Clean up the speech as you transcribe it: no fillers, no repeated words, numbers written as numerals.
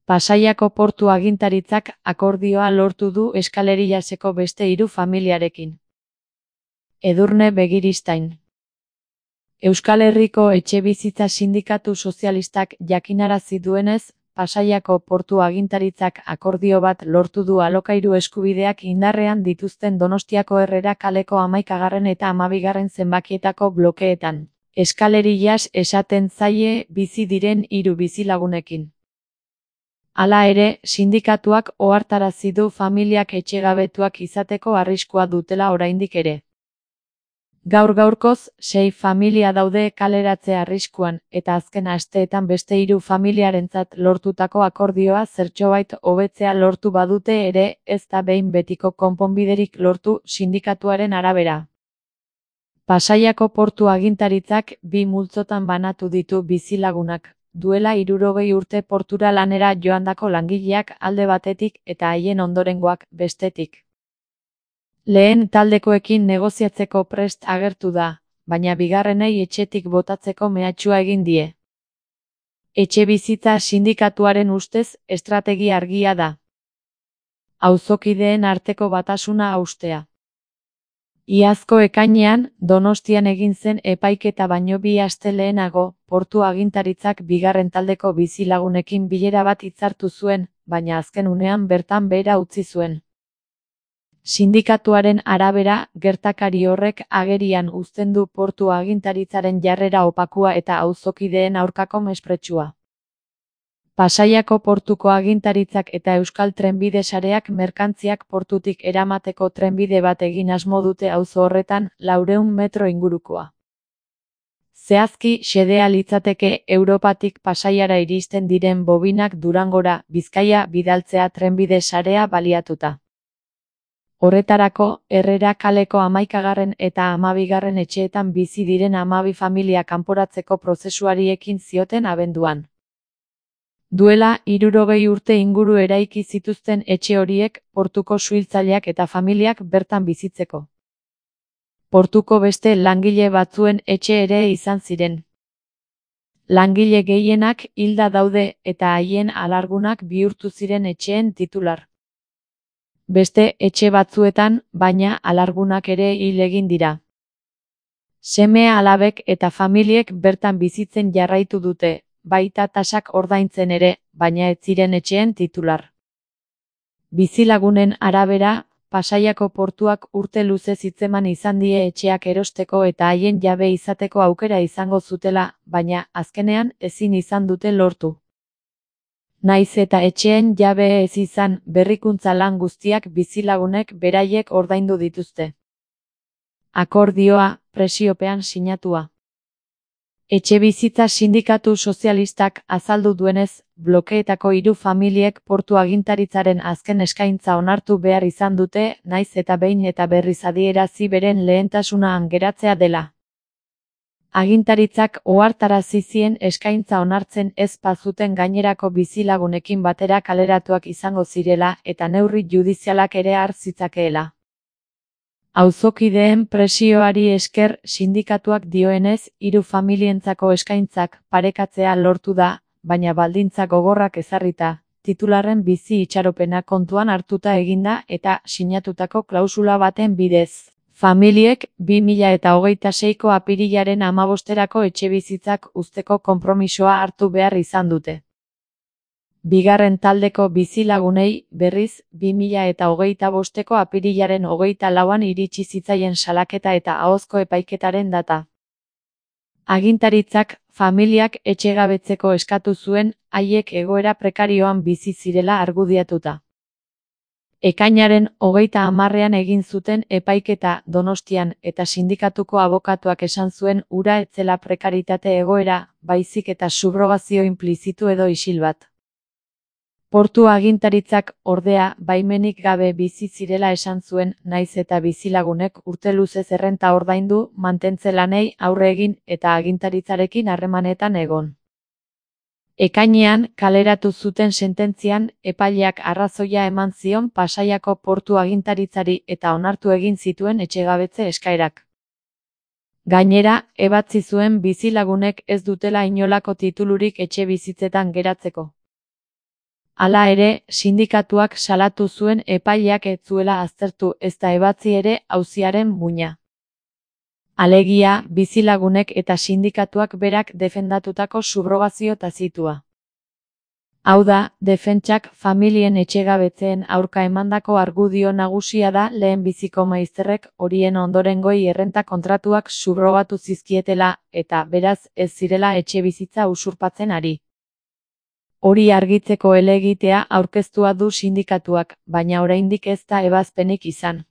Pasaiako portu agintaritzak akordioa lortu du Eskaleriyaseko beste 3 familiarekin. Edurne Begiristain. Euskal Herriko Etxebizitza Sindikatu Sozialistak jakinarazi duenez, Pasaiako portu agintaritzak akordio bat lortu du alokairu eskubideak indarrean dituzten Donostiako Herrera kaleko 11. eta 12. zenbakietako blokeetan. Eskaleriyas esaten zaie bizi diren 3 bizilagunekin. Hala ere, sindikatuak ohartarazi du familiak etxegabetuak izateko arriskua dutela oraindik ere. Gaur-gaurkoz, 6 familia daude kaleratze arriskuan, eta azken asteetan beste 3 familiarentzat lortutako akordioa zertxobait hobetzea lortu badute ere, ez da behin betiko konponbiderik lortu sindikatuaren arabera. Pasaiako portu agintaritzak 2 multzotan banatu ditu bizilagunak. Duela 60 urte portura lanera joandako langileak alde batetik eta haien ondorengoak bestetik. Lehen taldekoekin negoziatzeko prest agertu da, baina bigarrenei etxetik botatzeko mehatxua egin die. Etxebizitza sindikatuaren ustez estrategia argia da. Auzokideen arteko batasuna haustea. Iazko ekainean, Donostian egin zen epaiketa baino 2 aste lehenago, portu agintaritzak bigarren taldeko bizilagunekin bilera bat hitzartu zuen, baina azken unean bertan behera utzi zuen. Sindikatuaren arabera, gertakari horrek agerian uzten du portu agintaritzaren jarrera opakua eta auzokideen aurkako mespretxua. Pasaiako portuko agintaritzak eta Euskal Trenbide sareak merkantziak portutik eramateko trenbide bat egin asmo dute auzo horretan 400 metro ingurukoa. Zehazki, xedea litzateke Europatik Pasaiara iristen diren bobinak Durangora, Bizkaia bidaltzea trenbide sarea baliatuta. Horretarako, Herrera kaleko 11. eta 12. etxeetan bizi diren 12 familia kanporatzeko prozesuari ekin zioten abenduan. Duela 60 urte inguru eraiki zituzten etxe horiek portuko suhiltzaileak eta familiak bertan bizitzeko. Portuko beste langile batzuen etxe ere izan ziren. Langile gehienak hilda daude eta haien alargunak bihurtu ziren etxeen titular. Beste etxe batzuetan, baina alargunak ere hil egin dira. Seme-alabek eta familiek bertan bizitzen jarraitu dute, baita tasak ordaintzen ere, baina ez ziren etxeen titular. Bizilagunen arabera, Pasaiako portuak urte luze hitzeman izan die etxeak erosteko eta haien jabe izateko aukera izango zutela, baina azkenean ezin izan dute lortu. Naiz eta etxeen jabe ez izan, berrikuntza lan guztiak bizilagunek beraiek ordaindu dituzte. Akordioa, presiopean sinatua. Etxebizitza Sindikatu Sozialistak azaldu duenez, blokeetako 3 familiek portu agintaritzaren azken eskaintza onartu behar izan dute, naiz eta behin eta berriz adierazi beren lehentasuna geratzea dela. Agintaritzak ohartarazi zien eskaintza onartzen ez bazuten gainerako bizilagunekin batera kaleratuak izango zirela eta neurri judizialak ere har zitzakeela. Auzokideen presioari esker sindikatuak dioenez 3 familientzako eskaintzak parekatzea lortu da, baina baldintza gogorrak ezarrita, titularren bizi itxaropena kontuan hartuta eginda eta sinatutako klausula baten bidez. Familiek 2026ko apirilaren 15erako etxebizitzak uzteko konpromisoa hartu behar izan dute. Bigarren taldeko bizilagunei, berriz, 2025ko apirilaren 24an iritsi zitzaien salaketa eta ahozko epaiketaren data. Agintaritzak, familiak etxegabetzeko eskatu zuen, haiek egoera prekarioan bizi zirela argudiatuta. Ekainaren 30ean egin zuten epaiketa Donostian eta sindikatuko abokatuak esan zuen hura ez zela prekaritate egoera, baizik eta subrogazio inplizitu edo isil bat. Portu agintaritzak, ordea, baimenik gabe bizi zirela esan zuen, naiz eta bizilagunek urte luzez errenta ordaindu, mantentze lanei aurre egin eta agintaritzarekin harremanetan egon. Ekainean, kaleratu zuten sententzian, epaileak arrazoia eman zion Pasaiako portu agintaritzari eta onartu egin zituen etxegabetze eskaerak. Gainera, ebatzi zuen bizilagunek ez dutela inolako titulurik etxe bizitzetan geratzeko. Hala ere, sindikatuak salatu zuen epaileak ez zuela aztertu ezta ebatzi ere auziaren muina. Alegia, bizilagunek eta sindikatuak berak defendatutako subrogazio tazitua. Hau da, defentsak familien etxegabetzeen aurka emandako argudio nagusia da lehenbiziko maizterrek horien ondorengoi errenta kontratuak subrogatu zizkietela eta beraz ez zirela etxebizitza usurpatzen ari. Hori argitzeko helegitea aurkeztua du sindikatuak, baina oraindik ez da ebazpenik izan.